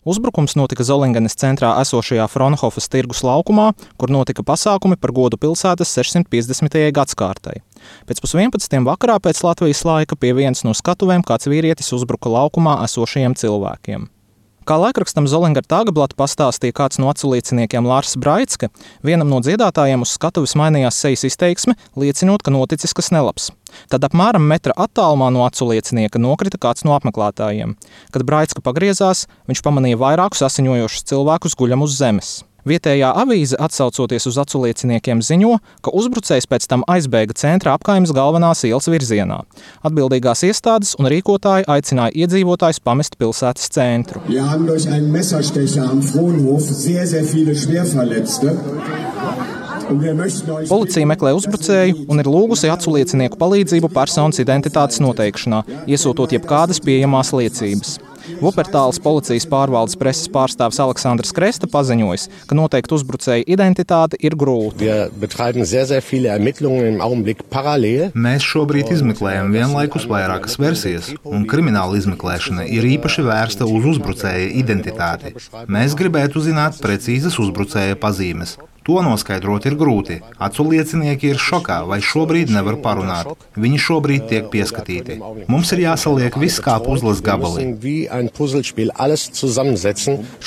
Uzbrukums notika Zolingenes centrā esošajā Fraunhofas tirgus laukumā, kur notika pasākumi par godu pilsētas 650. gadskārtai. Pēc 11. vakarā pēc Latvijas laika pie vienas no skatuvēm kāds vīrietis uzbruka laukumā esošajiem cilvēkiem. Kā laikrakstam Zolinger Tageblatt pastāstīja kāds no aculieciniekiem Lārs Braitske, vienam no dziedātājiem uz skatuves mainījās sejas izteiksme, liecinot, ka noticis kas nelabs. Tad apmēram metra attālumā no aculiecinieka nokrita kāds no apmeklētājiem. Kad Braitske pagriezās, viņš pamanīja vairākus asiņojošus cilvēkus guļam uz zemes. Vietējā avīze, atsaucoties uz aculieciniekiem, ziņo, ka uzbrucējs pēc tam aizbēga centra apkaimes galvenās ielas virzienā. Atbildīgās iestādes un rīkotāji aicināja iedzīvotājus pamest pilsētas centru. Policija meklē uzbrucēju un ir lūgusi aculiecinieku palīdzību personas identitātes noteikšanā, iesūtot jebkādas pieejamās liecības. Vupertāles policijas pārvaldes preses pārstāvis Aleksandrs Kresta paziņojis, ka noteikt uzbrucēju identitāti ir grūti. Mēs šobrīd izmeklējam vienlaikus vairākas versijas, un krimināla izmeklēšana ir īpaši vērsta uz uzbrucēja identitāti. Mēs gribētu zināt precīzas uzbrucēja pazīmes. To noskaidrot ir grūti. Aculiecinieki ir šokā vai šobrīd nevar parunāt. Viņi šobrīd tiek pieskatīti. Mums ir jāsaliek viss kā puzles gabali.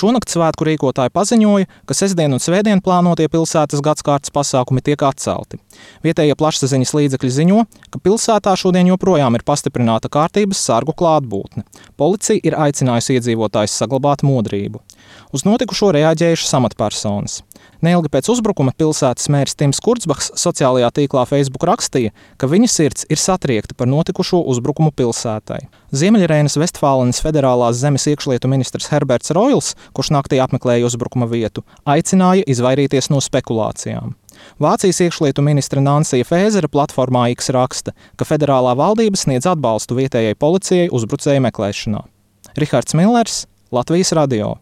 Šonakt svētku rīkotāji paziņoja, ka sestdien un svētdien plānotie pilsētas gadskārtas pasākumi tiek atcelti. Vietējie plašsaziņas līdzekļi ziņo, ka pilsētā šodien joprojām ir pastiprināta kārtības sargu klātbūtne. Policija ir aicinājusi iedzīvotājus saglabāt modrību. Uz notikušo reaģējušas amatpersonas. Neilgi pēc uzbrukuma pilsētas mērs Tims Kurzbachs sociālajā tīklā Facebook rakstīja, ka viņa sirds ir satriekta par notikušo uzbrukumu pilsētai. Ziemeļreinas Vestfālenes federālās zemes iekšlietu ministrs Herberts Roils, kurš naktī apmeklēja uzbrukuma vietu, aicināja izvairīties no spekulācijām. Vācijas iekšlietu ministre Nansija Fēzera platformā X raksta, ka federālā valdība sniedz atbalstu vietējai policijai uzbrucēju meklēšanā. Rihards Millers, Latvijas radio.